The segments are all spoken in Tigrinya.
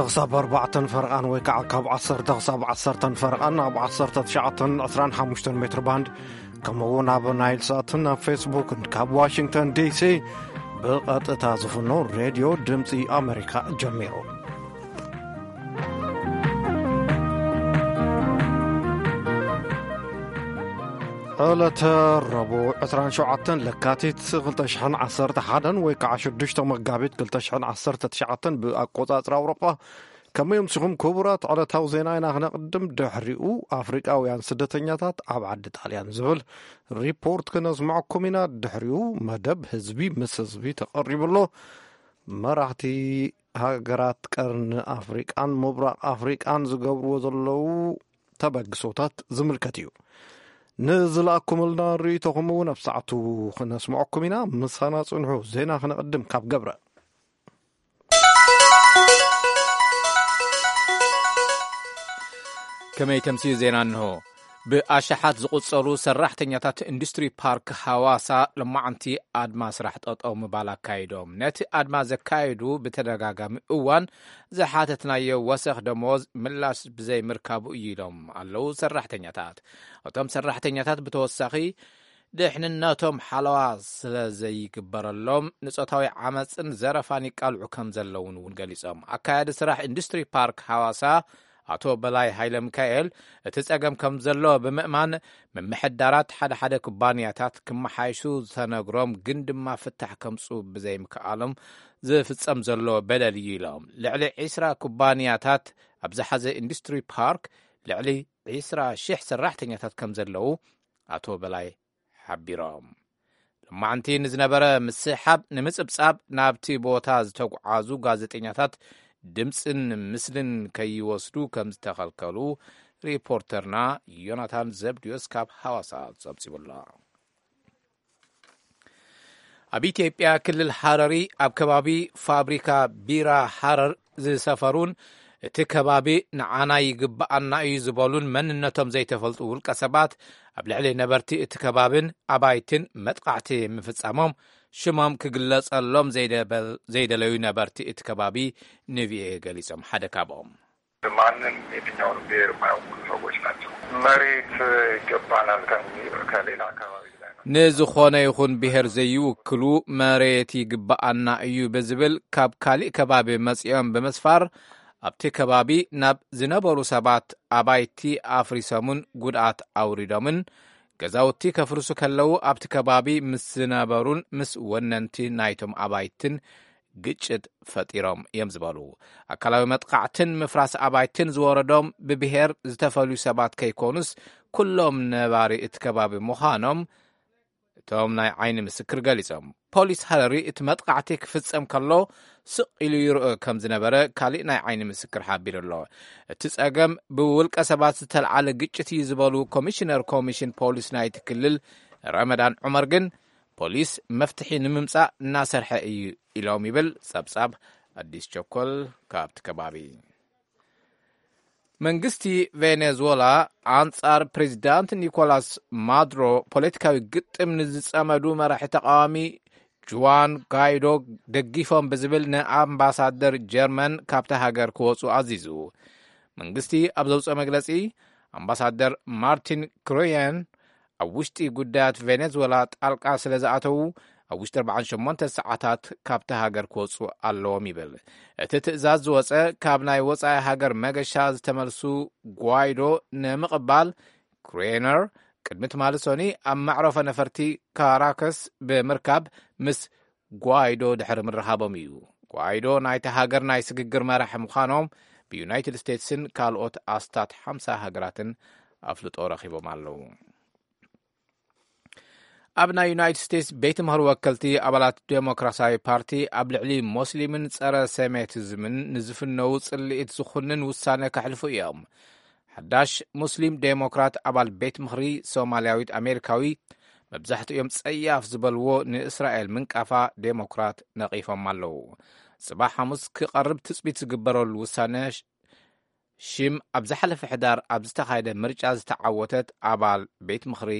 ክሳብ ኣርባዕተን ፈርቓን ወይ ከዓ ካብ ዓሰርተ ክሳብ ዓሰርተን ፈርቓን ኣብ ዓሰርተ ትሽዓተን ዕስራን ሓሙሽተን ሜትር ባንድ፣ ከምኡ እውን ኣብ ናይል ሳትን ኣብ ፌስቡክን ካብ ዋሽንግተን ዲሲ ብቐጥታ ዝፍኖ ሬድዮ ድምፂ ኣሜሪካ ጀሚሩ። ዕለተ ረቡዕ ዕስራን ሸውዓተን ለካቲት ክልተ ሽሕን ዓሰርተ ሓደን ወይ ከዓ ሽዱሽተ መጋቢት ክልተ ሽሕን ዓሰርተ ትሽዓተን ብኣቆፃፅራ ኣውሮጳ። ከመይ ኣምሲኹም ክቡራት? ዕለታዊ ዜና ኢና ክነቕድም። ድሕሪኡ ኣፍሪቃውያን ስደተኛታት ኣብ ዓዲ ጣልያን ዝብል ሪፖርት ክነስምዐኩም ኢና። ድሕሪኡ መደብ ህዝቢ ምስ ህዝቢ ተቐሪቡ ኣሎ። መራሕቲ ሃገራት ቀርኒ ኣፍሪቃን ምብራቕ ኣፍሪቃን ዝገብርዎ ዘለዉ ተበግሶታት ዝምልከት እዩ። ንዝለኣኩምልና ርእይቶኹም እውን ኣብ ሰዓቱ ክነስምዐኩም ኢና። ምሳና ጽንሑ። ዜና ክነቕድም ካብ ገብረ። ከመይ ተምስዩ ዜና እንሆ። ብኣሽሓት ዝቑጸሩ ሰራሕተኛታት ኢንዱስትሪ ፓርክ ሃዋሳ ሎማዓንቲ ኣድማ ስራሕ ጠጠው ምባል ኣካይዶም። ነቲ ኣድማ ዘካየዱ ብተደጋጋሚ እዋን ዝሓተትናዮ ወሰኽ ደሞዝ ምላሽ ብዘይምርካቡ እዩ ኢሎም ኣለዉ ሰራሕተኛታት። እቶም ሰራሕተኛታት ብተወሳኺ ድሕንነቶም ሓለዋ ስለ ዘይግበረሎም ንጾታዊ ዓመፅን ዘረፋን ይቃልዑ ከም ዘለውን እውን ገሊጾም። ኣካያዲ ስራሕ ኢንዱስትሪ ፓርክ ሃዋሳ ኣቶ በላይ ሃይለ ሚካኤል እቲ ጸገም ከም ዘሎ ብምእማን፣ ምምሕዳራት ሓደ ሓደ ኩባንያታት ክመሓይሹ ዝተነግሮም ግን ድማ ፍታሕ ከምጹ ብዘይምክኣሎም ዝፍጸም ዘሎ በደል እዩ ኢሎም። ልዕሊ ዒስራ ኩባንያታት ኣብ ዝሓዘ ኢንዱስትሪ ፓርክ ልዕሊ ዒስራ ሽሕ ሰራሕተኛታት ከም ዘለዉ ኣቶ በላይ ሓቢሮም። ሎማዕንቲ ንዝነበረ ምስሓብ ንምጽብጻብ ናብቲ ቦታ ዝተጓዓዙ ጋዜጠኛታት ድምፅን ምስልን ከይወስዱ ከም ዝተኸልከሉ ሪፖርተርና ዮናታን ዘብድዮስ ካብ ሃዋሳ ጸብጺቡሎ። ኣብ ኢትዮጵያ ክልል ሃረሪ ኣብ ከባቢ ፋብሪካ ቢራ ሃረር ዝሰፈሩን እቲ ከባቢ ንዓና ይግብኣና እዩ ዝበሉን መንነቶም ዘይተፈልጡ ውልቀ ሰባት ኣብ ልዕሊ ነበርቲ እቲ ከባብን ኣባይትን መጥቃዕቲ ምፍጻሞም ሽሞም ክግለጸሎም ዘይደበል-፣ ዘይደለዩ ነበርቲ እቲ ከባቢ ንቪኦኤ ገሊጾም። ሓደ ካብኦም ማንም የትኛውንም ብሔር የማያውቁ ሰዎች ናቸው። መሬት ይገባናል ከሚ-፣ ከሌላ አካባቢ ላይ ነው። ንዝኾነ ይኹን ብሔር ዘይውክሉ መሬት ይግብኣና እዩ ብዝብል ካብ ካሊእ ከባቢ መጺኦም ብምስፋር ኣብቲ ከባቢ ናብ ዝነበሩ ሰባት ኣባይቲ ኣፍሪሶምን ጉድኣት ኣውሪዶምን ገዛውቲ ከፍርሱ ከለዉ ኣብቲ ከባቢ ምስ ዝነበሩን ምስ ወነንቲ ናይቶም ኣባይትን ግጭት ፈጢሮም እዮም ዝበሉ። ኣካላዊ መጥቃዕትን ምፍራስ ኣባይትን ዝወረዶም ብብሔር ዝተፈልዩ ሰባት ከይኮኑስ ኩሎም ነባሪ እቲ ከባቢ ምዃኖም እቶም ናይ ዓይኒ ምስክር ገሊጾም። ፖሊስ ሃረሪ እቲ መጥቃዕቲ ክፍጸም ከሎ ስቕ ኢሉ ይርኦ ከም ዝነበረ ካሊእ ናይ ዓይኒ ምስክር ሓቢሩ ኣሎ። እቲ ጸገም ብውልቀ ሰባት ዝተልዓለ ግጭት እዩ ዝበሉ ኮሚሽነር ኮሚሽን ፖሊስ ናይቲ ክልል ረመዳን ዑመር ግን ፖሊስ መፍትሒ ንምምጻእ እናሰርሐ እዩ ኢሎም ይብል ጸብጻብ ኣዲስ ቸኮል ካብቲ ከባቢ። መንግስቲ ቬኔዙዌላ ኣንጻር ፕሬዚዳንት ኒኮላስ ማዱሮ ፖለቲካዊ ግጥም ንዝጸመዱ መራሒ ተቃዋሚ ጁዋን ጋይዶ ደጊፎም ብዝብል ንኣምባሳደር ጀርመን ካብታ ሃገር ክወጹ ኣዚዙ። መንግስቲ ኣብ ዘውጽኦ መግለጺ ኣምባሳደር ማርቲን ክሮየን ኣብ ውሽጢ ጉዳያት ቬኔዙዌላ ጣልቃ ስለ ዝኣተዉ ኣብ ውሽጢ ኣርባዓን ሸሞንተ ሰዓታት ካብቲ ሃገር ክወጹ ኣለዎም ይብል። እቲ ትእዛዝ ዝወጸ ካብ ናይ ወጻኢ ሃገር መገሻ ዝተመልሱ ጓይዶ ንምቕባል ክሬነር ቅድሚ ትማሊ ሶኒ ኣብ መዕረፎ ነፈርቲ ካራከስ ብምርካብ ምስ ጓይዶ ድሕሪ ምርኻቦም እዩ። ጓይዶ ናይቲ ሃገር ናይ ስግግር መራሒ ምዃኖም ብዩናይትድ ስቴትስን ካልኦት ኣስታት ሓምሳ ሃገራትን ኣፍልጦ ረኺቦም ኣለዉ። ኣብ ናይ ዩናይትድ ስቴትስ ቤት ምኽሪ ወከልቲ ኣባላት ዴሞክራሲያዊ ፓርቲ ኣብ ልዕሊ ሞስሊምን ጸረ ሴሜቲዝምን ንዝፍነዉ ጽልኢት ዝኹንን ውሳነ ከሕልፉ እዮም። ሓዳሽ ሙስሊም ዴሞክራት ኣባል ቤት ምኽሪ ሶማልያዊት ኣሜሪካዊ መብዛሕትኦም ጸያፍ ዝበልዎ ንእስራኤል ምንቃፋ ዴሞክራት ነቒፎም ኣለዉ። ጽባሕ ሓሙስ ክቐርብ ትጽቢት ዝግበረሉ ውሳነ ሽም ኣብ ዝሓለፈ ሕዳር ኣብ ዝተኻየደ ምርጫ ዝተዓወተት ኣባል ቤት ምኽሪ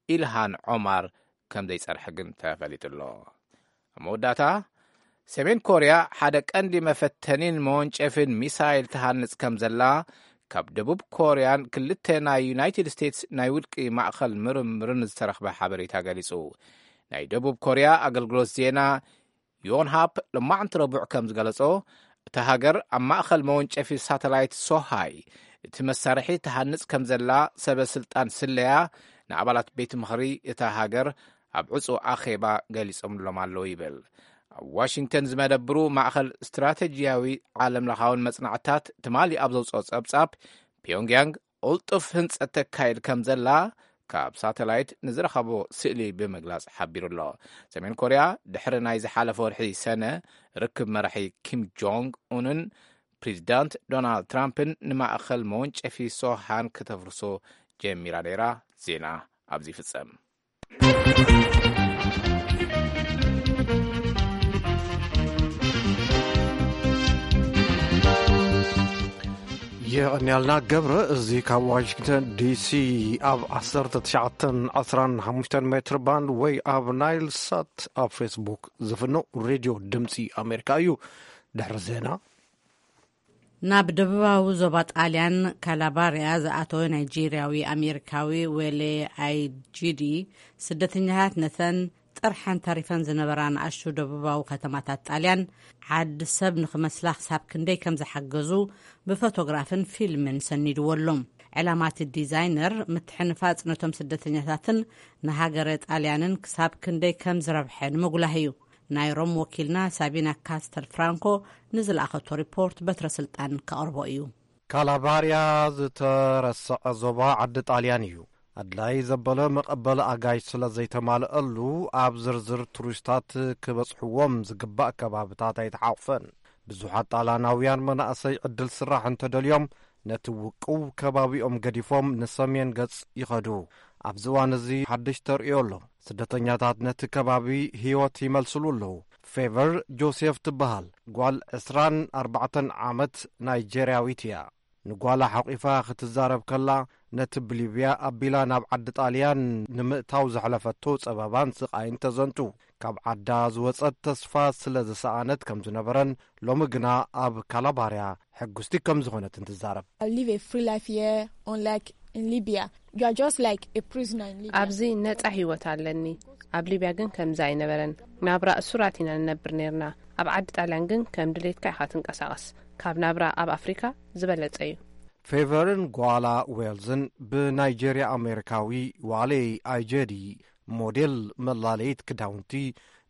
ኢልሃን ዖማር ከም ዘይጸርሐ ግን ተፈሊጡ ኣሎ። ኣብ መወዳእታ ሰሜን ኮርያ ሓደ ቀንዲ መፈተኒን መወንጨፊን ሚሳይል ትሃንጽ ከም ዘላ ካብ ደቡብ ኮርያን ክልተ ናይ ዩናይትድ ስቴትስ ናይ ውድቂ ማእኸል ምርምርን ዝተረኽበ ሓበሬታ ገሊጹ። ናይ ደቡብ ኮርያ ኣገልግሎት ዜና ዮንሃፕ ሎማዕንቲ ረቡዕ ከም ዝገለጾ፣ እታ ሃገር ኣብ ማእኸል መወንጨፊ ሳተላይት ሶሃይ እቲ መሳርሒ ትሃንጽ ከም ዘላ ሰበ ስልጣን ስለያ ንኣባላት ቤት ምኽሪ እታ ሃገር ኣብ ዕጹ ኣኼባ ገሊጾምሎም ኣለዉ ይብል። ኣብ ዋሽንግተን ዝመደብሩ ማእኸል ስትራተጂያዊ ዓለም ለኻውን መጽናዕትታት ትማሊ ኣብ ዘውፅኦ ጸብጻብ፣ ፒዮንግያንግ ቅልጡፍ ህንጸት ተካይድ ከም ዘላ ካብ ሳተላይት ንዝረኸቦ ስእሊ ብምግላጽ ሓቢሩ ኣሎ። ሰሜን ኮርያ ድሕሪ ናይ ዝሓለፈ ወርሒ ሰነ ርክብ መራሒ ኪም ጆንግ ኡንን ፕሬዚዳንት ዶናልድ ትራምፕን ንማእኸል መወንጨፊ ሶሃን ከተፍርሶ ጀሚራ ነይራ። ዜና ኣብዚ ይፍጸም። የቐንያልና ገብረ። እዚ ካብ ዋሽንግተን ዲሲ ኣብ ዓሰርተ ትሽዓተን ዓስራን ሓሙሽተን ሜትር ባንድ ወይ ኣብ ናይል ሳት ኣብ ፌስቡክ ዝፍኖ ሬድዮ ድምፂ ኣሜሪካ እዩ። ድሕሪ ዜና ናብ ደቡባዊ ዞባ ጣልያን ካላባርያ ዝኣተወ ናይጄርያዊ ኣሜሪካዊ ዌሌ ኣይጂዲ፣ ስደተኛታት ነተን ጥርሐን ተሪፈን ዝነበራ ንኣሽቱ ደቡባዊ ከተማታት ጣልያን ዓዲ ሰብ ንኽመስላ ክሳብ ክንደይ ከም ዝሓገዙ ብፎቶግራፍን ፊልምን ሰኒድዎ ኣሎ። ዕላማ እቲ ዲዛይነር ምትሕንፋጽ ነቶም ስደተኛታትን ንሃገረ ጣልያንን ክሳብ ክንደይ ከም ዝረብሐ ንምጉላህ እዩ። ናይ ሮም ወኪልና ሳቢና ካስተል ፍራንኮ ንዝለኣኸቶ ሪፖርት በትረ ስልጣን ከቕርቦ እዩ። ካላባርያ ዝተረስዐ ዞባ ዓዲ ጣልያን እዩ። ኣድላይ ዘበለ መቐበሊ ኣጋይሽ ስለ ዘይተማልአሉ፣ ኣብ ዝርዝር ቱሪስታት ክበጽሕዎም ዝግባእ ከባብታት ኣይተሓቑፈን። ብዙሓት ጣልያናውያን መናእሰይ ዕድል ስራሕ እንተደልዮም፣ ነቲ ውቁብ ከባቢኦም ገዲፎም ንሰሜን ገጽ ይኸዱ። ኣብዚ እዋን እዚ ሓድሽ ተርእዮ ኣሎ። ስደተኛታት ነቲ ከባቢ ህይወት ይመልስሉ ኣለዉ። ፌቨር ጆሴፍ ትበሃል ጓል ዕስራን ኣርባዕተን ዓመት ናይጄርያዊት እያ። ንጓላ ሓቂፋ ክትዛረብ ከላ፣ ነቲ ብሊብያ ኣቢላ ናብ ዓዲ ጣልያን ንምእታው ዘሕለፈቶ ጸበባን ስቓይን ተዘንቱ። ካብ ዓዳ ዝወጸት ተስፋ ስለ ዝሰኣነት ከም ዝነበረን፣ ሎሚ ግና ኣብ ካላባርያ ሕጉስቲ ከም ዝኾነትን ትዛረብ። I live a free life here, unlike in Libya. You are just like a prisoner in Libya. ኣብዚ ነጻ ህይወት ኣለኒ። ኣብ ሊብያ ግን ከምዚ ኣይነበረን። ናብራ እሱራት ኢና ንነብር ነርና። ኣብ ዓዲ ጣልያን ግን ከም ድሌትካ ኢኻ ትንቀሳቐስ። ካብ ናብራ ኣብ ኣፍሪካ ዝበለጸ እዩ። ፌቨርን ጓላ ዌልዝን ብናይጄርያ ኣሜሪካዊ ዋሌ ኣይጀዲ ሞዴል መላለይት ክዳውንቲ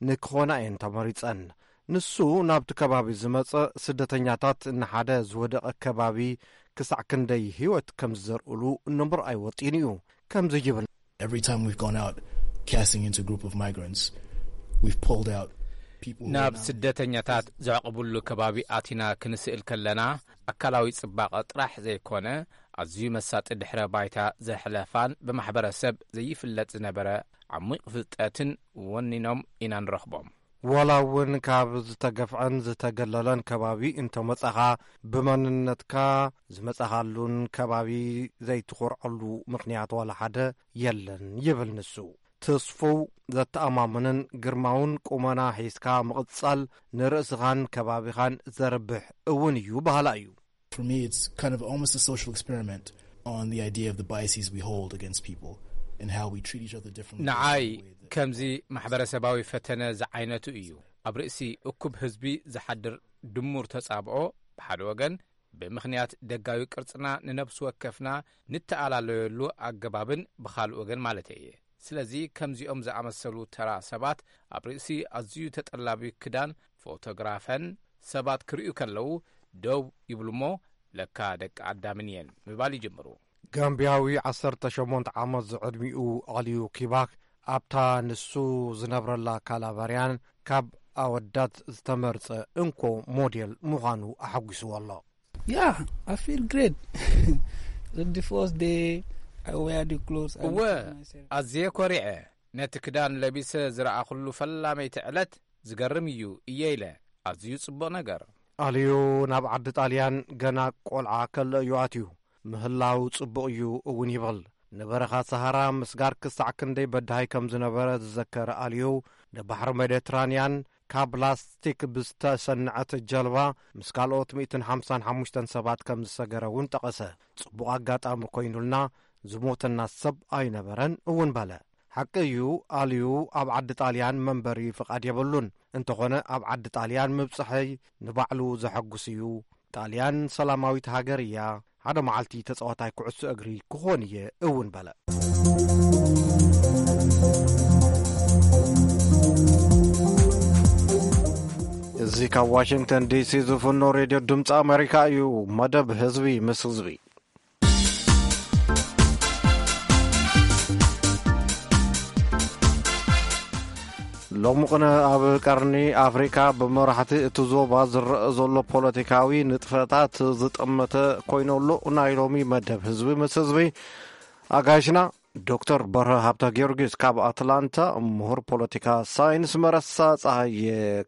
ንክኾና እየን ተመሪጸን። ንሱ ናብቲ ከባቢ ዝመጸ ስደተኛታት ንሓደ ዝወደቐ ከባቢ ክሳዕ ክንደይ ህይወት ከም ዝዘርእሉ ንምርኣይ ወጢኑ እዩ። ከምዚ ይብል። Every time we've gone out casting into a group of migrants, we've pulled out people who are ናብ now ስደተኛታት ዘዕቕብሉ ከባቢ ኣቲና ክንስእል ከለና፣ ኣካላዊ ጽባቐ ጥራሕ ዘይኮነ፣ ኣዝዩ መሳጢ ድሕረ ባይታ ዘሕለፋን ብማሕበረሰብ ዘይፍለጥ ዝነበረ ዓሚቕ ፍልጠትን ወኒኖም ኢና ንረኽቦም። ዋላ እውን ካብ ዝተገፍዐን ዝተገለለን ከባቢ እንተመጻኻ፣ ብመንነትካ ዝመጻኻሉን ከባቢ ዘይትኾርዐሉ ምኽንያት ዋላ ሓደ የለን ይብል ንሱ። ተስፉው ዘተኣማምንን ግርማውን ቁመና ሒዝካ ምቕጻል ንርእስኻን ከባቢኻን ዘርብሕ እውን እዩ በሃላ እዩ። For me, it's kind of almost a social experiment on the idea of the biases we hold against people and how we treat each other differently. ንዓይ ከምዚ ማሕበረሰባዊ ፈተነ ዝዓይነቱ እዩ። ኣብ ርእሲ እኩብ ህዝቢ ዝሓድር ድሙር ተጻብኦ ብሓደ ወገን፣ ብምኽንያት ደጋዊ ቅርጽና ንነብሲ ወከፍና ንተኣላለየሉ ኣገባብን ብኻልእ ወገን ማለተይ እየ። ስለዚ ከምዚኦም ዝኣመሰሉ ተራ ሰባት ኣብ ርእሲ ኣዝዩ ተጠላቢ ክዳን ፎቶግራፈን ሰባት ክርእዩ ከለዉ ደው ይብሉ እሞ ለካ ደቂ ኣዳምን እየን ምባል ይጅምሩ። ጋምቢያዊ ዓሰርተ ሸሞንተ ዓመት ዝዕድሚኡ ኣልዩ ኪባክ ኣብታ ንሱ ዝነብረላ ካላባርያን ካብ ኣወዳት ዝተመርጸ እንኮ ሞዴል ምዃኑ ኣሐጒስዎ ኣሎ። Yeah, I feel great. The first day I wear the clothes, I እወ፣ look at myself. ኣዝየ ኮሪዐ። ነቲ ክዳን ለቢሰ ዝረኣኹሉ ፈላመይቲ ዕለት ዝገርም እዩ እየ ኢለ። ኣዝዩ ጽቡቕ ነገር። ኣልዩ ናብ ዓዲ ጣልያን ገና ቆልዓ ከሎ እዩ ኣትዩ። ምህላው ጽቡቕ እዩ እውን ይብል። ንበረኻ ሰሃራ ምስጋር ክሳዕ ክንደይ በዳሂ ከም ዝነበረ ዝዘከረ ኣልዩ፣ ንባሕሪ ሜዲትራንያን ካብ ላስቲክ ብዝተሰንዐት ጀልባ ምስ ካልኦት ሚእትን ሓምሳን ሓሙሽተን ሰባት ከም ዝሰገረ እውን ጠቐሰ። ጽቡቕ ኣጋጣሚ ኮይኑልና ዝሞተና ሰብ ኣይነበረን እውን በለ። ሓቂ እዩ፣ ኣልዩ ኣብ ዓዲ ጣልያን መንበሪ ፍቓድ የብሉን። እንተኾነ ኣብ ዓዲ ጣልያን ምብጽሐይ ንባዕሉ ዘሐጉስ እዩ። ጣልያን ሰላማዊት ሃገር እያ። ሓደ መዓልቲ ተጻዋታይ ኩዕሶ እግሪ ክኾን እየ እውን በለ። እዚ ካብ ዋሽንግተን ዲሲ ዝፍኖ ሬድዮ ድምፂ ኣሜሪካ እዩ። መደብ ህዝቢ ምስ ህዝቢ። ሎሚ ቅነ ኣብ ቀርኒ ኣፍሪካ ብመራሕቲ እቲ ዞባ ዝረአ ዘሎ ፖለቲካዊ ንጥፈታት ዝጠመተ ኮይነሉ፣ ናይ ሎሚ መደብ ህዝቢ ምስ ህዝቢ ኣጋይሽና ዶክተር በርሀ ሃብተ ጊዮርጊስ ካብ ኣትላንታ፣ ምሁር ፖለቲካ ሳይንስ መረሳ ፀሃየ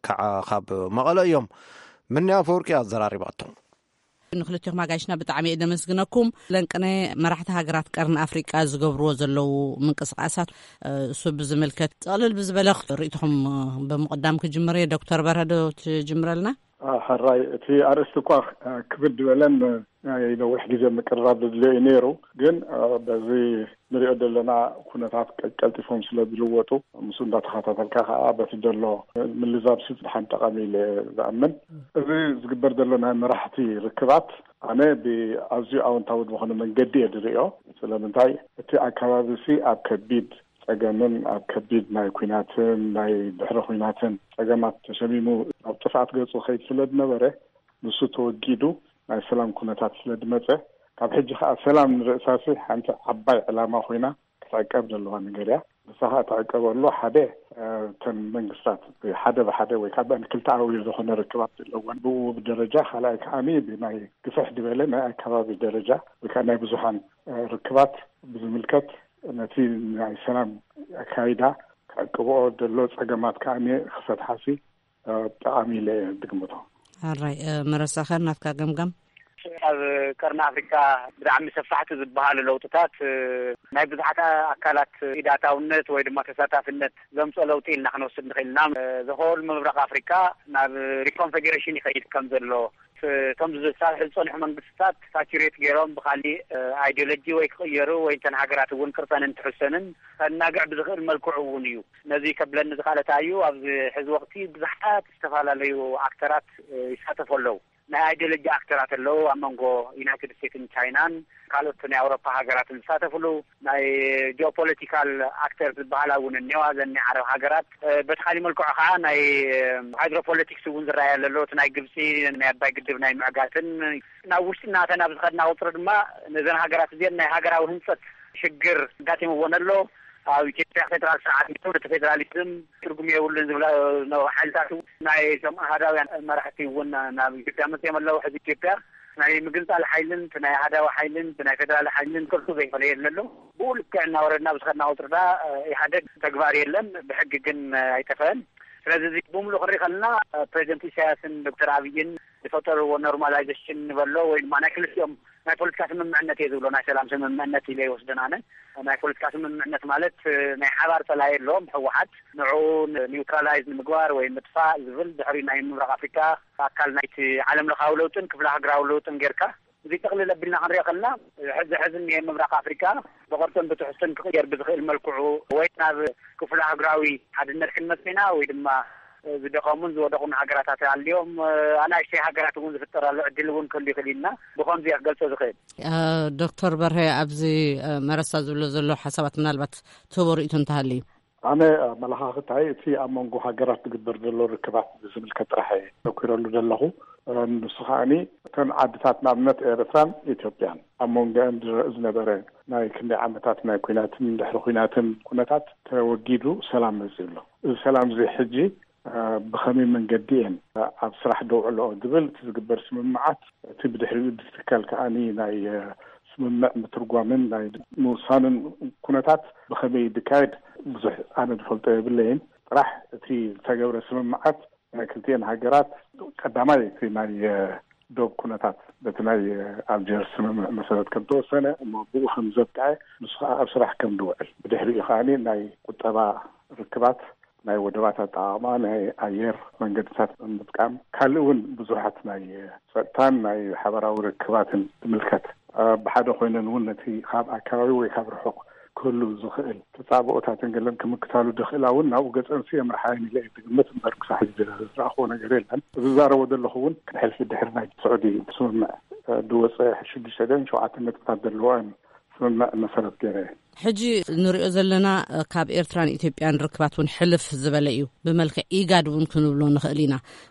ከዓ ካብ መቐለ እዮም። ምንያ ኣፈወርቂ ኣዘራሪባቶም። ንክልቴኹም ኣጋይሽና ብጣዕሚ እየ ደመስግነኩም። ለንቅነ መራሕቲ ሃገራት ቀርኒ ኣፍሪቃ ዝገብርዎ ዘለዉ ምንቅስቃሳት፣ እ፣ እሱ ብዝምልከት ጠቕልል ብዝበለ ርእይቶኹም፣ እ፣ ብምቕዳም ክጅምር እየ። ዶክተር በርሀ ዶ ትጅምረልና? አ፣ ሕራይ፣ እቲ ኣርእስቲ እኳ፣ አ፣ ክብድ ዝበለን፣ አ፣ ነዊሕ ግዜ ምቅርራብ ዘድልዮ እዩ ነይሩ። ግን፣ አ፣ በዚ ንሪኦ ዘለና ኩነታት ቀ-፣ ቀልጢፎም ስለ ዝልወጡ፣ ምስኡ እንዳተኸታተልካ ከዓ በቲ ዘሎ ምልዛብ ሲ ብጣዕሚ ጠቓሚ ኢለ ዝኣምን። እዚ ዝግበር ዘሎ ናይ መራሕቲ ርክባት ኣነ ብኣዝዩ ኣወንታዊ ዝኾነ መንገዲ እየ ዝሪኦ። ስለምንታይ? እቲ ኣከባቢ ሲ ኣብ ከቢድ ጸገምን ኣብ ከቢድ ናይ ኲናትን ናይ ድሕሪ ኲናትን ጸገማት ተሸሚሙ ኣብ ጥፍኣት ገጹ ከይድ ስለ ዝነበረ፣ ንሱ ተወጊዱ ናይ ሰላም ኩነታት ስለ ዝመጸ፣ ካብ ሕጂ ከኣ ሰላም ንርእሳሲ ሓንቲ ዓባይ ዕላማ ኮይና ክትዕቀብ ዘለዋ ነገር እያ። ንሳ ከኣ ትዕቀበሉ ሓደ፣ እ፣ እተን መንግስታት ብሓደ ብሓደ ወይ ከዓ ብኣን ክልተኣዊ ዝኾነ ርክባት ዘለወን ብውብ ደረጃ፣ ካልኣይ ከዓኒ ብናይ ግፍሕ ዝበለ ናይ ኣከባቢ ደረጃ ወይ ከዓ ናይ ብዙሓን፣ እ፣ ርክባት ብዝምልከት ነቲ ናይ ሰላም ኣካይዳ ክዕቅብኦ ዘሎ ጸገማት ከዓኒ ክፈትሓሲ፣ እ፣ ጠቓሚ ኢለ እየ ዝግምቶ። ሕራይ፣ እ፣ መረሳኸ ናትካ ገምጋም? ኣብ ቀርኒ ኣፍሪካ ብጣዕሚ ሰፋሕቲ ዝበሃሉ ለውጥታት፣ እ፣ ናይ ብዙሓት ኣካላት ኢዳታውነት ወይ ድማ ተሳታፍነት ዘምፅኦ ለውጢ ኢልና ክንወስድ ንኽእል ኢና። እ፣ ዘሆል ምብራቕ ኣፍሪካ ናብ ሪኮንፌዴሬሽን ይኸይድ ከም ዘሎ፣ እ፣ እቶም ዝሳርሑ ዝፀንሑ መንግስትታት ሳቹሬት ገይሮም ብካሊእ፣ እ፣ ኣይዲዮሎጂ ወይ ክቕየሩ ወይ እንተን ሃገራት እውን ቅርፀን እንትሕሰንን ከናግዕ ብዝኽእል መልክዑ እውን እዩ። ነዚ ከብለኒ ዝኽኣለ እንታይ እዩ፣ ኣብዚ ሕዚ ወቕቲ ብዙሓት ዝተፈላለዩ ኣክተራት፣ እ፣ ይሳተፉ ኣለዉ። ናይ ኣይዲዮሎጂ ኣክተራት ኣለዉ፣ ኣብ መንጎ ዩናይትድ ስቴትስን ቻይናን ካልኦት ናይ ኣውሮፓ ሃገራትን ዝሳተፍሉ፣ ናይ ጂኦፖለቲካል ኣክተር ዝበሃላ እውን እኒዋ፣ ዘን ናይ ዓረብ ሃገራት። እ፣ በቲ ካሊእ መልክዑ ከዓ ናይ፣ እ፣ ሃይድሮፖለቲክስ እውን ዝረኣያ ዘሎ፣ እቲ ናይ ግብፂ ናይ ኣባይ ግድብ ናይ ምዕጋትን፣ ናብ ውሽጢ እናተና ብዝኸድና ቁፅሪ ድማ ነዘን ሃገራት እዚአን ናይ ሃገራዊ ህንፀት ሽግር ኣጋጢምወን ኣሎ። ኣብ ኢትዮጵያ ፌደራል ስርዓት ነይሩ፣ እቲ ፌደራሊዝም ትርጉም የብሉን ዝብላ ነበሩ ሓይልታት እውን፣ ናይ እቶም ኣሃዳውያን መራሕቲ እውን ናብ ኢትዮጵያ መፅኦም ኣለዉ። ሕዚ ኢትዮጵያ ናይ ምግንፃል ሓይልን እቲ ናይ ኣሃዳዊ ሓይልን እቲ ናይ ፌደራል ሓይልን ቅርጹ ዘይፈለየለ ኣሎ። ብኡ ልክዕ እናወረድና ብዝኸድና ቁፅሪ ዳ ኢህኣደግ ተግባር የለን፣ ብሕጊ ግን ኣይጠፈአን። ስለዚ እዚ ብምሉእ ክንርኢ ከለና ፕሬዚደንት ኢሳያስን ዶክተር ኣብይን ዝፈጠርዎ ኖርማላይዜሽን ንበሎ ወይ ድማ ናይ ክልቲኦም ናይ ፖለቲካ ስምምዕነት እየ ዝብሎ፣ ናይ ሰላም ስምምዕነት ኢለ ይወስደን ኣነ። ናይ ፖለቲካ ስምምዕነት ማለት፣ እ፣ ናይ ሓባር ጸላኢ ኣለዎም፣ ህወሓት። ንዕኡ ን-፣ ኒውትራላይዝ ንምግባር ወይ ምጥፋእ ዝብል ድሕሪ ናይ ምብራቕ ኣፍሪካ ኣካል ናይቲ ዓለም ለኻዊ ለውጥን ክፍለ ሃገራዊ ለውጥን ጌርካ፣ እዚ ጠቕልል ኣቢልና ክንሪኦ ከለና፣ ሕዚ ሕዚ እኒሄ ምብራቕ ኣፍሪካ ብቕርጽን ብትሕዝቶን ክቕየር ብዝኽእል መልክዑ ወይ ናብ ክፍለ ሃገራዊ ሓድነት ክንመጽእ ኢና ወይ ድማ ዝደኸሙን ዝወደቑን ሃገራታት ኣልዮም፣ ኣናእሽተይ ሃገራት እውን ዝፍጠራሉ ዕድል እውን ክህሉ ይኽእል ኢልና ብኸምዚ እየ ክገልጾ ዝኽእል። እ፣ ዶክተር በርሀ፣ ኣብዚ፣ እ፣ መረሳ ዝብሎ ዘሎ ሓሳባት ምናልባት ትህቦ ርእይቶ እንተሃልዩ? ኣነ ኣመለኻኽታይ እቲ ኣብ መንጎ ሃገራት ዝግበር ዘሎ ርክባት ብዝምልከት ጥራሕ እየ ተኲረሉ ዘለኹ። እ፣ ንሱ ከኣኒ እተን ዓድታት ንኣብነት ኤርትራን ኢትዮጵያን ኣብ መንጎአን ዝረ-፣ ዝነበረ ናይ ክንደይ ዓመታት ናይ ኲናትን ድሕሪ ኲናትን ኩነታት ተወጊዱ ሰላም መጺኡ ኣሎ። እዚ ሰላም እዚ ሕጂ እ፣ ብኸመይ መንገዲ እየን ኣብ ስራሕ ደውዕልኦ ዝብል እቲ ዝግበር ስምምዓት፣ እቲ ብድሕሪኡ ዝትከል ከኣኒ ናይ፣ እ፣ ስምምዕ ምትርጓምን ናይ ምውሳንን ኩነታት ብኸመይ ዝካየድ ብዙሕ ኣነ ዝፈልጦ የብለይን። ጥራሕ እቲ ዝተገብረ ስምምዓት ናይ ክልቲኤን ሃገራት ቀዳማይ እቲ ናይ፣ እ፣ ዶብ ኩነታት በቲ ናይ፣ እ፣ ኣልጀርስ ስምምዕ መሰረት ከም ተወሰነ እሞ ብኡ ከም ዘብቅዐ ንሱ ከዓ ኣብ ስራሕ ከም ዝውዕል ብድሕሪኡ ከኣኒ ናይ ቁጠባ ርክባት ናይ ወደባት ኣጠቓቕማ፣ ናይ ኣየር መንገድታት ምጥቃም፣ ካልእ እውን ብዙሓት ናይ ጸጥታን ናይ ሓበራዊ ርክባትን ዝምልከት፣ እ፣ ብሓደ ኮይነን እውን ነቲ ካብ ኣከባቢ ወይ ካብ ርሑቕ ክህሉ ዝኽእል ተጻብኦታትን ገለን ክምክታሉ ደኽእላ እውን ናብኡ ገጸንሲ የምርሓ እየን ኢለ እየ ዝግምት። እምበር ክሳብ ሕጂ ዝረኣኽዎ ነገር የለን። ዝዛረቦ ዘለኹ እውን ሕልፊ ድሕሪ ናይ ስዑዲ ስምምዕ፣ እ፣ ዝወፀ ሽዱሽተ ድዮን ሸውዓተ ነጥብታት ዘለዎን ስምምዕ መሰረት ገይረ እየ። ሕጂ ንሪኦ ዘለና፣ እ፣ ካብ ኤርትራን ኢትዮጵያን ርክባት እውን ሕልፍ ዝበለ እዩ። ብመልክዕ ኢጋድ እውን ክንብሎ ንኽእል ኢና።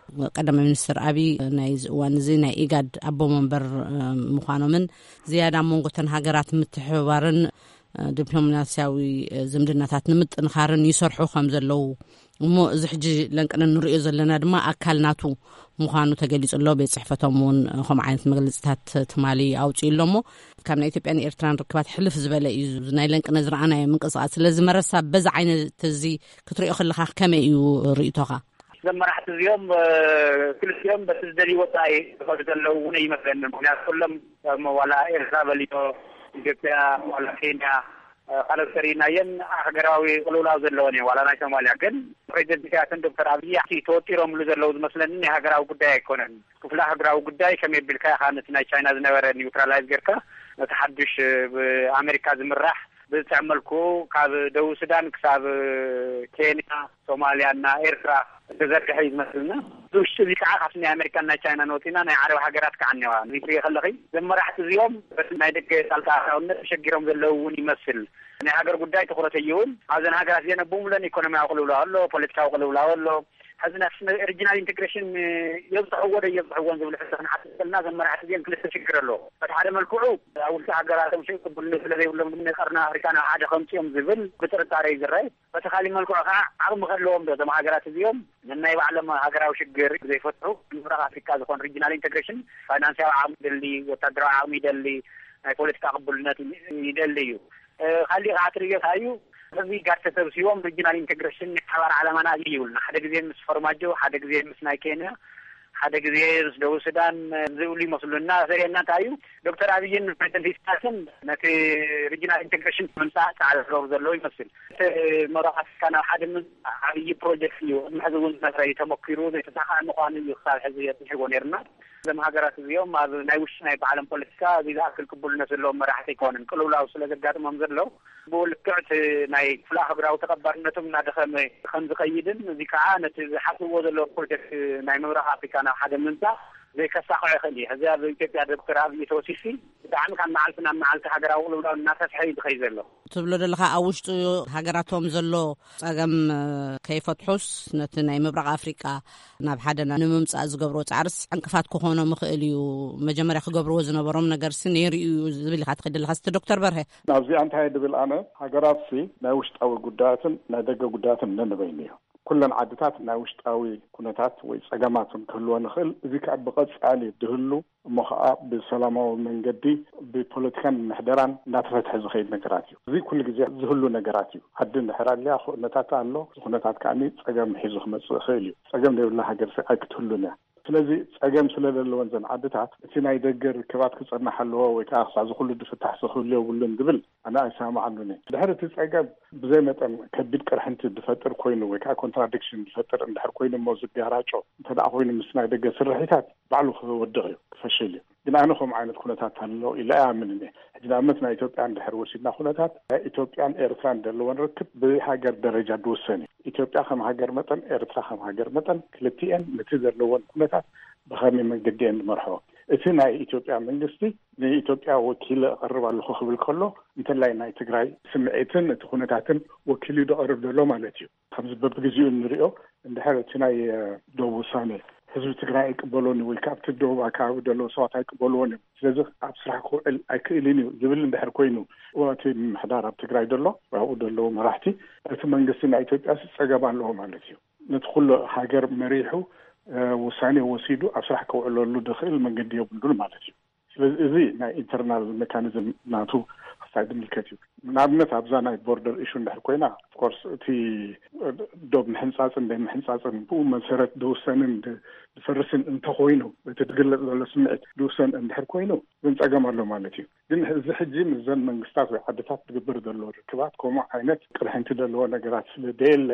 ቀዳማይ ሚኒስትር ኣቢይ ናይዚ እዋን እዚ ናይ ኢጋድ ኣቦ መንበር፣ እ፣ ምዃኖምን ዝያዳ ኣብ መንጎ እተን ሃገራት ምትሕብባርን፣ እ፣ ዲፕሎማስያዊ፣ እ፣ ዝምድናታት ንምጥንኻርን ይሰርሑ ከም ዘለዉ እሞ፣ እዚ ሕጂ ለንቅነ ንሪኦ ዘለና ድማ ኣካል ናቱ ምዃኑ ተገሊጹ ኣሎ። ቤት ጽሕፈቶም እውን ከምኡ ዓይነት መግለጺታት ትማሊ ኣውጺኡ ኣሎ። እሞ ካብ ናይ ኢትዮጵያን ኤርትራን ርክባት ሕልፍ ዝበለ እዩ እዚ ናይ ለንቅነ ዝረኣናዮ ምንቅስቓስ። ስለዚ መረሳ፣ በዚ ዓይነት እዚ ክትሪኦ ከለኻ ከመይ እዩ ርእይቶኻ? እዞም መራሕቲ እዚኦም፣ እ፣ ክልቲኦም በቲ ዝደልይዎ ጥራይ ዝኸዱ ዘለዉ እውን ይመስለኒ። ምክንያቱ ኩሎም፣ ከም ዋላ ኤርትራ በሊቶ፣ ኢትዮጵያ፣ ዋላ ኬንያ፣ እ፣ ካልኦት ተሪእናየን ሃገራዊ ቅልውላው ዘለወን እየን። ዋላ ናይ ሶማልያ ግን ፕሬዚደንት ኢሳያስን ዶክተር ኣብይ እቲ ተወጢሮምሉ ዘለዉ ዝመስለኒ ናይ ሃገራዊ ጉዳይ ኣይኮነን። ክፍለ ሃገራዊ ጉዳይ ከመይ ኣቢልካ ኢኻ ነቲ ናይ ቻይና ዝነበረ ኒውትራላይዝ ጌርካ ነቲ ሓዱሽ፣ እ፣ ብኣሜሪካ ዝምራሕ ብዝጥዕም መልክዑ ካብ ደቡብ ሱዳን ክሳብ ኬንያ፣ ሶማልያ እና ኤርትራ ዝተዘርግሐ እዩ ዝመስልና። እዚ ውሽጢ እዚ ከዓ ካብቲ ናይ ኣሜሪካን ናይ ቻይናን ወፂና ናይ ዓረብ ሃገራት ከዓ እኒዋ። እዚ ትሪኦ ከለኺ እዞም መራሕቲ እዚኦም በቲ ናይ ደገ ጣልቃ ኣታውነት ተሸጊሮም ዘለዉ እውን ይመስል። ናይ ሃገር ጉዳይ ትኹረት ኣይህቡን። ኣብዘን ሃገራት እዚአን ኣቡሙለን ኢኮኖሚያዊ ቅልውላው ኣሎ፣ ፖለቲካዊ ቅልውላው ኣሎ። ሕዚ ናይ ሪጂናል ኢንቴግሬሽን የብፅሕዎ ዶ የብፅሕዎን ዝብል ሕቶ ክንሓትት ከለና እዞም መራሕቲ እዚኦም ክልተ ሽግር ኣለዎ። በቲ ሓደ መልክዑ ኣብ ውልቂ ሃገራቶም ሽም ቅቡልነት ስለ ዘይብሎም ድማ ናይ ቀርኒ ኣፍሪካ ናብ ሓደ ከምፅኦም ዝብል ብጥርጣረ እዩ ዝረኣይ። በቲ ካሊእ መልክዑ ከዓ ዓቕሚ ከለዎም ዶ እዞም ሃገራት እዚኦም ነናይ ባዕሎም ሃገራዊ ሽግር ዘይፈትሑ? ምብራቕ ኣፍሪካ ዝኾን ሪጂናል ኢንቴግሬሽን ፋይናንሳዊ ዓቕሚ ይደሊ፣ ወታደራዊ ዓቕሚ ይደሊ፣ ናይ ፖለቲካ ቅቡልነት ይደሊ እዩ። እ፣ ካሊእ ከዓ ትርእዮ እንታይ እዩ? እዚ ጋር ተሰብሲቦም ሪጂናል ኢንቴግሬሽን ናይ ሓባር ዓላማና እዩ ይብሉና። ሓደ ግዜ ምስ ፈርማጆ፣ ሓደ ግዜ ምስ ናይ ኬንያ፣ ሓደ ግዜ ምስ ደቡብ ሱዳን ዝብሉ ይመስሉና። ዘርእየና እንታይ እዩ? ዶክተር ኣብይን ፕሬዚደንት ኢሳያስን ነቲ ሪጂናል ኢንቴግሬሽን ንምምፃእ ፃዕሪ ዝገብሩ ዘለዉ ይመስል። እቲ ምብራቕ ኣፍሪካ ናብ ሓደ ምምፃእ ዓብዪ ፕሮጀክት እዩ። ቅድሚ ሕዚ እውን ዝነበረ እዩ፣ ተመኪሩ ዘይተሳኽዐ ምዃኑ እዩ ክሳብ ሕዚ የፅንሕዎ ነይርና። እዞም ሃገራት እዚኦም ኣብ ናይ ውሽጢ ናይ ባዕሎም ፖለቲካ እዚ ዝኣክል ቅቡልነት ዘለዎም መራሕቲ ኣይኮኑን። ቅልውላው ስለ ዘጋጥሞም ዘሎ ብኡ ልክዕ እቲ ናይ ክፍለ ኣህጉራዊ ተቐባልነቶም እናደኸመ ከም ዝኸይድን እዚ ከዓ ነቲ ዝሓስብዎ ዘለዉ ፕሮጀክት ናይ ምብራቕ ኣፍሪካ ናብ ሓደ ምምፃእ ዘይከሳኽዖ ይኽእል እዩ። ሕዚ ኣብ ኢትዮጵያ ዶክተር ኣብይ ተወሲሲ ብጣዕሚ ካብ መዓልቲ ናብ መዓልቲ ሃገራዊ ቅልውላው እናሰፍሐ እዩ ዝኸይድ ዘሎ። ትብሎ ዘለኻ ኣብ ውሽጡ ሃገራቶም ዘሎ ጸገም፣ እ፣ ከይፈትሑስ ነቲ ናይ ምብራቕ ኣፍሪቃ ናብ ሓደ ንምምጻእ ዝገብርዎ ጻዕርስ ዕንቅፋት ክኾኖም ይኽእል እዩ። መጀመርያ ክገብርዎ ዝነበሮም ነገርሲ ነይሩ እዩ ዝብል ኢኻ ትኸይድ ዘለኻ። እስቲ ዶክተር በርሀ። ናብዚኣ እንታይ ድብል ኣነ፣ ሃገራትሲ ናይ ውሽጣዊ ጉዳያትን ናይ ደገ ጉዳያትን ነንበይኑ እዩ። ኩለን ዓድታት ናይ ውሽጣዊ ኩነታት ወይ ጸገማት ክህልወን ይኽእል። እዚ ከኣ ብቐጻሊ ድህሉ እሞ ኸዓ ብሰላማዊ መንገዲ ብፖለቲካን ምሕደራን እናተፈትሐ ዝኸይድ ነገራት እዩ። እዚ ኩሉ ግዜ ዝህሉ ነገራት እዩ። ዓዲ እንድሕር ኣልያ ኩነታት ኣሎ። እዚ ኩነታት ከዓኒ ጸገም ሒዙ ክመጽእ ይኽእል እዩ። ጸገም ዘይብላ ሃገር ሲ ኣይክትህሉን እያ። ስለዚ ጸገም ስለ ዘለወን ዘን ዓድታት እቲ ናይ ደገ ርክባት ክጸናሕ ኣለዎ ወይ ከዓ ክሳዕ እዚ ኩሉ ድፍታሕ ዝኽህሉ የብሉን ዝብል ኣነ ኣይሰማማዓሉን እየ። ድሕሪ እቲ ጸገም ብዘይ መጠን ከቢድ ቅርሕንቲ ዝፈጥር ኮይኑ ወይ ከዓ ኮንትራዲክሽን ዝፈጥር እንድሕር ኮይኑ እሞ ዝጋራጮ እንተ ደኣ ኮይኑ ምስ ናይ ደገ ስርሒታት ባዕሉ ክወድቕ እዩ፣ ክፈሽል እዩ። ግን ኣነ ከምኡ ዓይነት ኩነታት ኣሎ ኢለ ኣይኣምንን እየ። ሕጂ ንኣብነት ናይ ኢትዮጵያ እንድሕር ወሲድና ኩነታት ናይ ኢትዮጵያን ኤርትራን ዘለወን ርክብ ብሃገር ደረጃ ዝውሰን እዩ። ኢትዮጵያ ከም ሃገር መጠን፣ ኤርትራ ከም ሃገር መጠን ክልቲኤን ነቲ ዘለወን ኩነታት ብኸመይ መንገዲ እየን ዝመርሖ? እቲ ናይ ኢትዮጵያ መንግስቲ ንኢትዮጵያ ወኪለ እቐርብ ኣለኹ ክብል ከሎ እንተላይ ናይ ትግራይ ስምዒትን እቲ ኩነታትን ወኪሉ እዩ ዝቐርብ ዘሎ ማለት እዩ። ከምዚ በብግዜኡ እንሪኦ እንድሕር እቲ ናይ፣ እ፣ ደቡብ ውሳኔ ህዝቢ ትግራይ ኣይቅበሎን ወይ ካብቲ ደቡብ ኣከባቢ ዘለዉ ሰባት ኣይቅበልዎን እዮም፣ ስለዚ ኣብ ስራሕ ክውዕል ኣይክእልን እዩ ዝብል እንድሕር ኮይኑ፣ እቲ ምምሕዳር ኣብ ትግራይ ዘሎ ኣብኡ ዘለዉ መራሕቲ እቲ መንግስቲ ናይ ኢትዮጵያ ጸገም ኣለዎ ማለት እዩ። ነቲ ኩሉ ሃገር መሪሑ፣ እ፣ ውሳኔ ወሲዱ ኣብ ስራሕ ከውዕለሉ ዝኽእል መንገዲ የብሉን ማለት እዩ። ስለዚ እዚ ናይ ኢንተርናል ሜካኒዝም ናቱ እንታይ ዝምልከት እዩ? ንኣብነት ኣብዛ ናይ ቦርደር ኢሹ እንድሕር ኮይና፣ ኦፍኮርስ እቲ ዶብ ምሕንጻጽን ደይ ምሕንጻጽን ብኡ መሰረት ዝውሰንን ድ- ዝፈርስን እንተኮይኑ፣ እቲ ዝግለጽ ዘሎ ስምዒት ዝውሰን እንድሕር ኮይኑ፣ ግን ጸገም ኣሎ ማለት እዩ። ግን እዚ ሕጂ ምስዘን መንግስታት ወይ ዓድታት ዝግበር ዘሎ ርክባት ከምኡ ዓይነት ቅርሕንቲ ዘለዎ ነገራት ስለ ደየለ፣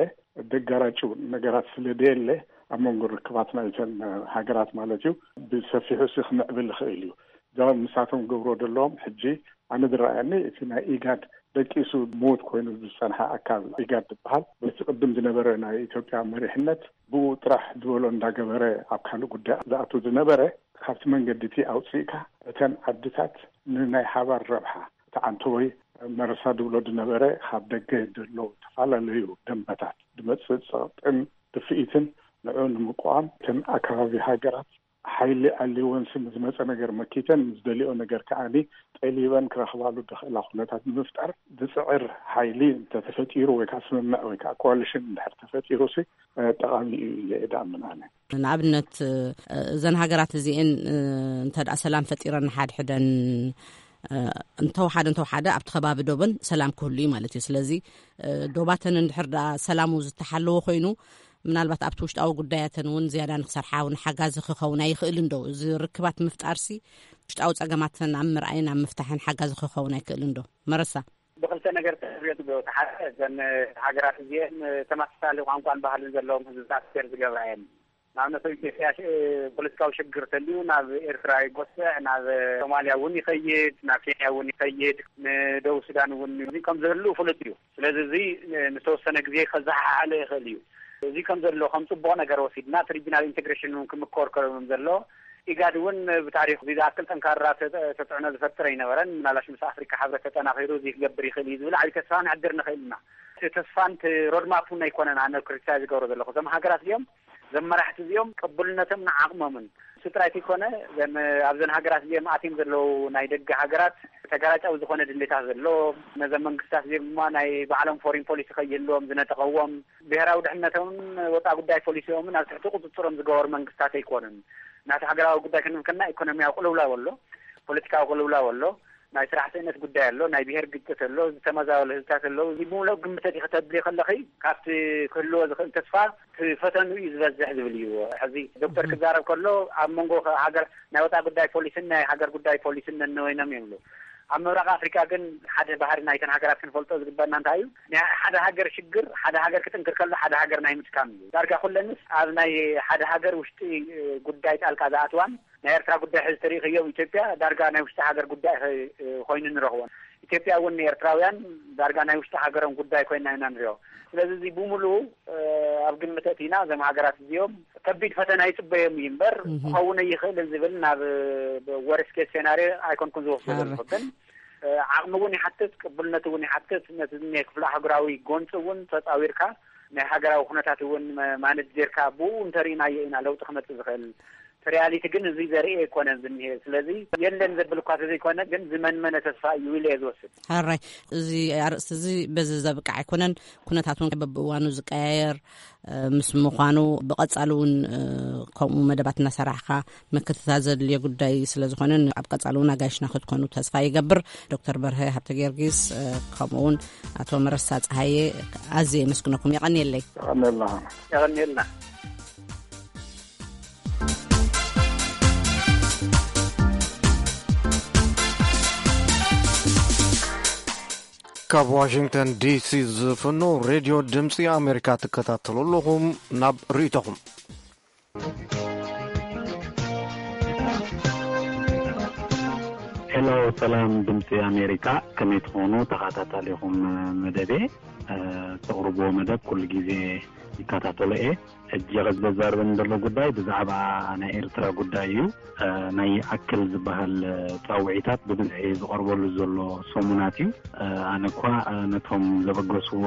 ደጋራጭው ነገራት ስለ ደየለ፣ ኣብ መንጎ ርክባት ናይተን ሃገራት ማለት እዩ፣ ብሰፊሑ ሲ ክምዕብል ይኽእል እዩ። ጃ ምሳቶም ገብሮ ዘለዎም ሕጂ ኣነ ዝረኣየኒ እቲ ናይ ኢጋድ ደቂሱ ምዉት ኮይኑ ዝጸንሐ ኣካል ኢጋድ ዝበሃል በቲ ቅድም ዝነበረ ናይ ኢትዮጵያ መሪሕነት ብኡ ጥራሕ ዝበሎ እንዳገበረ ኣብ ካልእ ጉዳይ ዝኣቱ ዝነበረ ካብቲ መንገዲ እቲ ኣውፅእካ እተን ዓድታት ንናይ ሓባር ረብሓ እቲ ዓንተወይ መረሳ ዝብሎ ዝነበረ ካብ ደገ ዘሎ ዝተፈላለዩ ደንበታት ዝመፅእ ፀቕጥን ድፍኢትን ንዑ ንምቋም እተን ኣካባቢ ሃገራት ሓይሊ ኣልይወን ስም ዝመፀ ነገር መኪተን ምስ ደሊኦ ነገር ከዓኒ ጠሊበን ክረኽባሉ ዝኽእላ ኩነታት ንምፍጣር ዝፅዕር ሓይሊ እንተተፈጢሩ ወይ ከዓ ስምምዕ ወይ ከዓ ኮዋሊሽን እንድሕር ተፈጢሩ ሲ ጠቓሚ እዩ ኢለ እየ ዝኣምን ኣነ። ንኣብነት እዘን ሃገራት እዚኤን እንተ ደኣ ሰላም ፈጢረን ንሓድሕደን እንተወሓደ እንተወሓደ ኣብቲ ከባቢ ዶበን ሰላም ክህሉ እዩ ማለት እዩ። ስለዚ ዶባተን እንድሕር ደኣ ሰላሙ ዝተሓለወ ኮይኑ ምናልባት ኣብቲ ውሽጣዊ ጉዳያተን እውን ዝያዳ ንክሰርሓ እውን ሓጋዚ ክኸውን ኣይኽእልን ዶ? እዚ ርክባት ምፍጣርሲ ውሽጣዊ ጸገማተን ኣብ ምርኣይን ኣብ ምፍታሕን ሓጋዚ ክኸውን ኣይክእልን ዶ? መረሳ። ብክልተ ነገር ተሪኦ ትገብሮ። ሓደ እዘን ሃገራት እዚኤን ተመሳሳሊ ቋንቋን ባህልን ዘለዎም ህዝብታት ሴር ዝገብራ እየን። ንኣብነት ኣብ ኢትዮጵያ ሽ- ፖለቲካዊ ሽግር ተልዩ ናብ ኤርትራ ይጎስዕ፣ ናብ ሶማልያ እውን ይኸይድ፣ ናብ ኬንያ እውን ይኸይድ፣ ንደቡብ ሱዳን እውን እዚ ከም ዝህሉ ፍሉጥ እዩ። ስለዚ እዚ ንዝተወሰነ ግዜ ከዘሓሓለ ይኽእል እዩ። እዚ ከም ዘሎ ከም ፅቡቕ ነገር ወሲድና እቲ ሪጂናል ኢንቴግሬሽን እውን ክምኮር ከም ዘሎ ኢጋድ እውን ብታሪክ እዚ ዝኣክል ጠንካራ ተ- ተፅዕኖ ዝፈጥር ኣይነበረን። ምናልባሽ ምስ ኣፍሪካ ሕብረት ተጠናኺሩ እዚ ክገብር ይኽእል እዩ ዝብል ዓብዪ ተስፋ ንሕድር ንኽእል ኢና። እቲ ተስፋን እቲ ሮድማፕ እውን ኣይኮነን ኣነ ክሪቲሳይዝ ዝገብሮ ዘለኹ። እዞም ሃገራት እዚኦም ዘመራሕቲ እዚኦም ቅቡልነቶም ንዓቕሞምን እሱ ጥራይ ዘይኮነ ዘን ኣብዘን ሃገራት እዚኦም ኣትዮም ዘለዉ ናይ ደገ ሃገራት ተጋላጫዊ ዝኾነ ድሌታት ዘለዎም ነዘን መንግስታት እዚኦም ድማ ናይ ባዕሎም ፎሪን ፖሊሲ ከይህልዎም ዝነጠቐዎም ብሄራዊ ድሕነቶምን ወፃ ጉዳይ ፖሊሲኦምን ኣብ ትሕቲ ቁፅፅሮም ዝገበሩ መንግስታት ኣይኮኑን። ናቲ ሃገራዊ ጉዳይ ክንብል ከና ኢኮኖሚያዊ ቅልውላው ኣሎ፣ ፖለቲካዊ ቅልውላው ኣሎ፣ ናይ ስራሕ ስእነት ጉዳይ ኣሎ፣ ናይ ብሄር ግጭት ኣሎ፣ ዝተመዛበሉ ህዝብታት ኣለዉ። እዚ ብምሉእ ግምተት ኢኸ ተብሊ ከለኺ ካብቲ ክህልዎ ዝኽእል ተስፋ እቲ ፈተንኡ እዩ ዝበዝሕ ዝብል እዩ። ሕዚ ዶክተር ክዛረብ ከሎ ኣብ መንጎ ሃገር ናይ ወፃ ጉዳይ ፖሊስን ናይ ሃገር ጉዳይ ፖሊስን ነነወይኖም ይብሉ። ኣብ ምብራቕ ኣፍሪካ ግን ሓደ ባህሪ ናይተን ሃገራት ክንፈልጦ ዝግበና እንታይ እዩ? ናይ ሓደ ሃገር ሽግር ሓደ ሃገር ክጥንክር ከሎ ሓደ ሃገር ናይ ምስካም እዩ። ዳርጋ ኩለንስ ኣብ ናይ ሓደ ሃገር ውሽጢ ጉዳይ ጣልቃ ዝኣትዋን ናይ ኤርትራ ጉዳይ ሕዚ ተሪእኽዮ ኣብ ኢትዮጵያ ዳርጋ ናይ ውሽጢ ሃገር ጉዳይ ኮይኑ ንረኽቦን። ኢትዮጵያ እውን ንኤርትራውያን ዳርጋ ናይ ውሽጢ ሃገሮም ጉዳይ ኮይና ኢና ንሪኦ። ስለዚ እዚ ብምሉኡ ኣብ ግምት ኣእቲና እዞም ሃገራት እዚኦም ከቢድ ፈተና ይፅበዮም እዩ እምበር ክኸውን ኣይኽእልን ዝብል ናብ ወርስት ኬስ ሴናርዮ ኣይኮንኩን ዝወስዶ ዘለኹ። ግን ዓቕሚ እውን ይሓትት፣ ቅቡልነት እውን ይሓትት። ነቲ ናይ ክፍለ ኣህጉራዊ ጎንፂ እውን ተፃዊርካ ናይ ሃገራዊ ኩነታት እውን ማነጅ ጌርካ ብኡ እንተሪእናዮ ኢና ለውጢ ክመፅእ ዝኽእል። እቲ ሪያሊቲ ግን እዚ ዘርኢ ኣይኮነን ዝኒሄ። ስለዚ የለን ዘብል እኳ ተዘይኮነ ግን ዝመንመነ ተስፋ እዩ ኢለ እየ ዝወስድ። ሕራይ፣ እዚ ኣርእስቲ እዚ በዚ ዘብቅዕ ኣይኮነን። ኩነታት እውን በብእዋኑ ዝቀያየር ምስ ምዃኑ ብቐጻሊ እውን ከምኡ መደባት እናሰራሕካ ምክትታል ዘድልዮ ጉዳይ ስለ ዝኾነ ኣብ ቀጻሊ እውን ኣጋይሽና ክትኮኑ ተስፋ ይገብር። ዶክተር በርሀ ሃብተ ጊዮርጊስ ከምኡ እውን ኣቶ መረሳ ፀሃየ ኣዝየ የመስግነኩም። የቐንየለይ። የቐንየልና። የቐንየልና። ካብ ዋሽንግተን ዲሲ ዝፍኖ ሬድዮ ድምፂ ኣሜሪካ ትከታተሉ ኣለኹም። ናብ ርእይቶኹም። ሄሎ፣ ሰላም ድምፂ ኣሜሪካ፣ ከመይ ትኾኑ ተኸታታሊኹም መደቤ? ተቕርብዎ መደብ ኩሉ ግዜ ይከታተሎ እየ። ሕጂ ከዘዛርበን ዘሎ ጉዳይ ብዛዕባ ናይ ኤርትራ ጉዳይ እዩ። ናይ ኣክል ዝበሃል ፃውዒታት ብብዝሒ ዝቐርበሉ ዘሎ ሰሙናት እዩ። ኣነ እኳ ነቶም ዘበገስዎ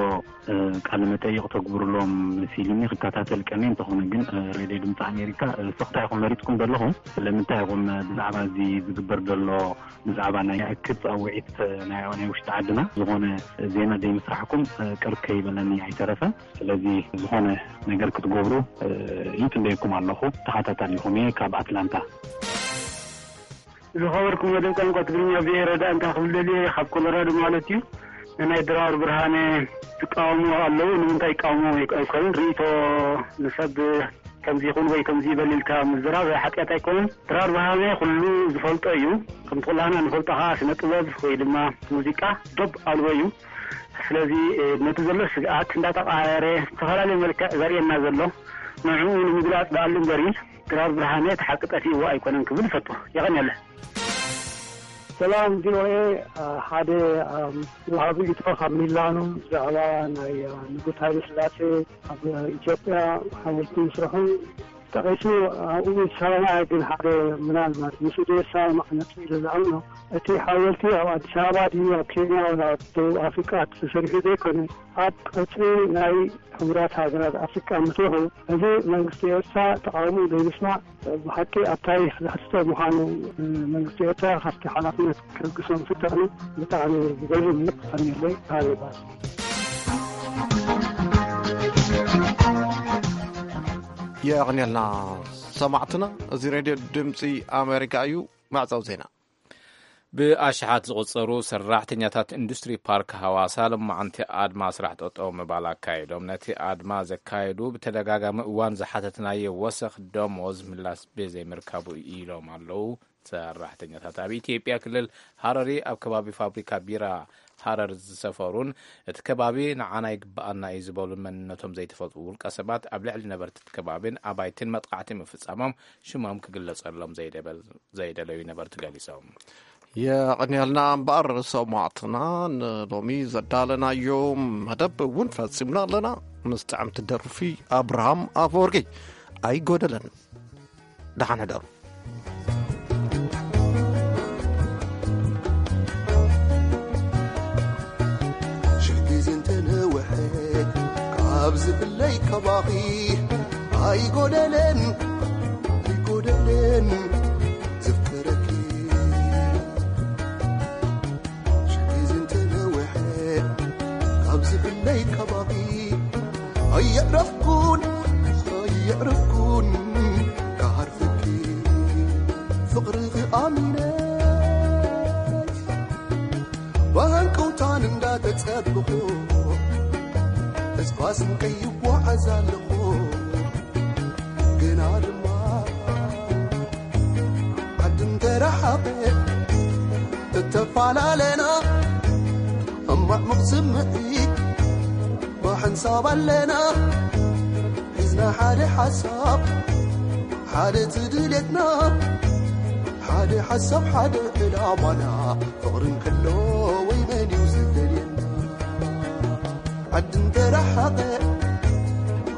ቃለ መጠይቕ ተግብርሎም መሲልኒ ክከታተል ቀንየ። እንተኾነ ግን ሬድዮ ድምፂ ኣሜሪካ ስቕታ ኢኹም መሪፅኩም ዘለኹም። ስለምንታይ ኢኹም ብዛዕባ እዚ ዝግበር ዘሎ ብዛዕባ ናይ ኣክል ፃውዒት ናይ ናይ ውሽጢ ዓድና ዝኾነ ዜና ዘይምስራሕኩም ቅር ከይበለኒ ኣይተረፈን። ስለዚ ዝኾነ ነገር ክትገብሩ ይጽበየኩም ኣለኹ። ተኸታታሊኹም እየ ካብ ኣትላንታ። ዝኸበርኩም መደብ ቋንቋ ትግርኛ ብሄረ ዳ እንታይ ክብል ደልየ፣ ካብ ኮሎራዶ ማለት እዩ። ንናይ ድራር ብርሃነ ዝቃወሙ ኣለዉ። ንምንታይ ይቃወሙ ኣይኮኑን፣ ርእይቶ ንሰብ ከምዚ ይኹን ወይ ከምዚ ይበል ኢልካ ምዝራብ ሓጢኣት ኣይኮነን። ድራር ብርሃነ ኩሉ ዝፈልጦ እዩ። ከምቲ ኩላህና ንፈልጦ ከዓ ስነ ጥበብ ወይ ድማ ሙዚቃ ዶብ ኣልቦ እዩ። ስለዚ ነቲ ዘሎ ስግኣት እንዳተቃየረ ዝተፈላለየ መልክዕ ዘርእየና ዘሎ ንዕኡ ንምግላፅ ደኣሉ እምበሪ ድራር ብርሃነ እቲ ሓቂ ጠፊእዎ ኣይኮነን ክብል ይፈቱ። የቐንየለ። ሰላም ቪኦኤ። ሓደ ወሃቢ ሪኢቶ ካብ ሚላኖ ብዛዕባ ናይ ንጉስ ሃይለ ስላሴ ኣብ ኢትዮጵያ ሓወልቲ ምስርሑ ጠቒሱ፣ ኣብኡ ይሰማማዕ፣ ግን ሓደ ምናልባት ምስኡ ዘይሰማማዕ ነጥቢ ኢሉ ዝኣምኖ፣ እቲ ሓወልቲ ኣብ ኣዲስ ኣበባ ድዩ ኣብ ኬንያ ወላ ኣብ ደቡብ ኣፍሪቃ ተሰሪሑ ዘይኮነ ኣብ ቅጽሪ ናይ ሕቡራት ሃገራት ኣፍሪቃ ምስርሑ፣ እዚ መንግስቲ ኤርትራ ተቓውሞ ዘይምስማዕ ብሓቂ ኣብ ታሪኽ ዘሕትቶ ምዃኑ መንግስቲ ኤርትራ ካብቲ ሓላፍነት ክልግሶ ምፍታኑ ብጣዕሚ ገሪሙኒ። ቀኒለይ። ሃሪባስ የቕንየልና ሰማዕትና። እዚ ሬድዮ ድምፂ ኣሜሪካ እዩ። ማዕፀው ዜና። ብኣሽሓት ዝቑጸሩ ሰራሕተኛታት ኢንዱስትሪ ፓርክ ሃዋሳ ሎማዓንቲ ኣድማ ስራሕ ጠጠው ምባል ኣካይዶም። ነቲ ኣድማ ዘካየዱ ብተደጋጋሚ እዋን ዝሓተትናዮ ወሰኽ ደሞዝ ምላስ ብዘይምርካቡ ኢሎም ኣለዉ። ሰራሕተኛታት ኣብ ኢትዮጵያ ክልል ሃረሪ ኣብ ከባቢ ፋብሪካ ቢራ ሃረር ዝሰፈሩን እቲ ከባቢ ንዓና ይግበኣና እዩ ዝበሉ መንነቶም ዘይተፈልጡ ውልቀ ሰባት ኣብ ልዕሊ ነበርቲ እቲ ከባቢን ኣባይትን መጥቃዕቲ ምፍጻሞም ሽሞም ክግለጸሎም ዘይደለዩ ነበርቲ ገሊጾም። የቐንየልና እምበኣር ሰማዕትና፣ ንሎሚ ዘዳለናዮ መደብ እውን ፈጺምና ኣለና። ምስ ጥዕምቲ ደርፊ ኣብርሃም ኣፈወርቂ። ኣይጎደለን። ደሓን ሕደሩ። ሽሕ ግዜ እንተነውሐ ካብ ዝብለይ ካባኺ ኣይጎደለን፣ ኣይጎደለን ዘፍቅረኪ። ሽሕ ግዜ እንተነውሐ ካብ ዝብለይ ካባኺ ኣየዕረፍኩን፣ ኣየዕረፍኩን ክዓርፈኪ ፍቕርኺ ኣሚነ ብሃንቀውታን እንዳተጸበኹ ተስፋ ስንቀይ ይጓዓዝ ኣለኹ። ግና ድማ ዓዲ እንተረሓቐ እተፈላለና ሕማቕ ስምዒት ብሓንሳብ ኣለና ሒዝና ሓደ ሓሳብ ሓደ እቲ ድሌትና ሓደ ሓሳብ ሓደ ዕላማና ፍቕሪ እንከሎ ወይ መን እዩ ዝደልየና ዓዲ እንተረሓቐ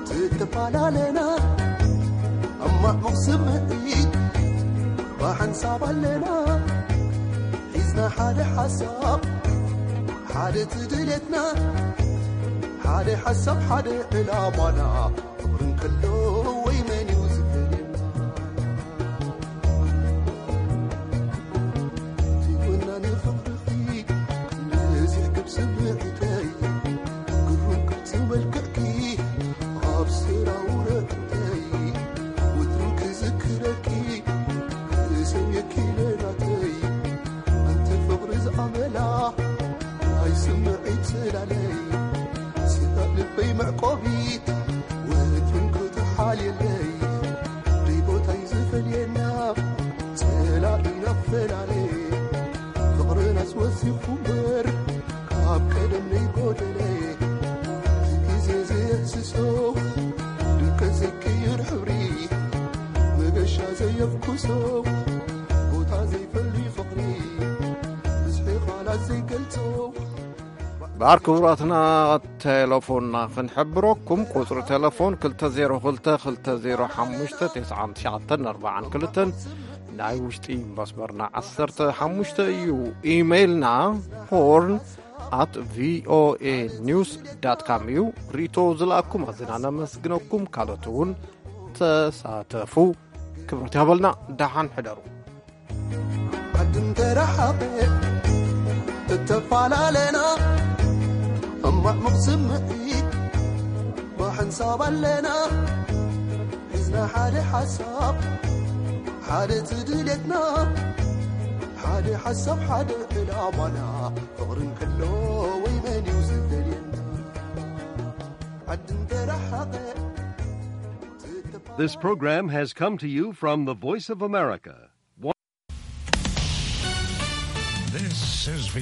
ትተፈላለና ሕማቕ ስምዒት ብሓንሳብ ኣለና ሒዝና ሓደ ሓሳብ ሓደ እቲ ድሌትና ሓደ ሓሳብ ሓደ ዕላማና ፍቕሪ እንከሎ ወይ መን እዩ ዝፈልየና ዘይኮና ንፍቕርኺ ክንደዚ ዕግብ ስምዒተይ ግሩም ቅርጺ መልክዕኪ ኣብ ስራውረ ጥንተይ ወትሩ ክዝክረኪ ክሰምየኪ ለናተይ ኣንቲ ፍቕሪ ዝኣመላ ናይ ስምዒት ጽላለይ ስጋ ልበይ መዕቆቢት ወትሩ ክትሓልየለይ ደይ ቦታይ ዝፈልየና ጸላኢና ፈላለየ ፍቕርናስ ወሲኹ እምበር ካብ ቀደም ነይጎደለ ግዜ ዘየህስሶ ድምቀት ዘይቅይር ሕብሪ መገሻ ዘየፍኩሶ ቦታ ዘይፈሊ ፍቕሪ ብዝሒ ቃላት ዘይገልጾ በኣር ክቡራትና ቴሌፎንና ክንሕብረኩም ቁፅሪ ቴሌፎን ክልተ ዜሮ ክልተ ክልተ ዜሮ ሓሙሽተ ተስዓን ትሽዓተን ኣርባዓን ክልተን ናይ ውሽጢ መስመርና ዓሰርተ ሓሙሽተ እዩ። ኢሜይልና ሆርን ኣት ቪኦኤ ኒውስ ዳት ካም እዩ። ርእቶ ዝለኣኩም ኣዝና ነመስግነኩም። ካልኦት እውን ተሳተፉ። ክብረት ይሃበልና። ደሓን ሕደሩ። ዓዲ እንተረሓቐ እተፈላለና ሕማቕ ስምዒት ብሓንሳብ ኣለና ሒዝና ሓደ ሓሳብ ሓደ እቲ ድሌትና ሓደ ሓሳብ ሓደ ዕላማና ፍቕሪ እንከሎ ወይ መን እዩ ዝደልየና ዓዲ እንተረሓቐ This program has come to you from the Voice of America. This is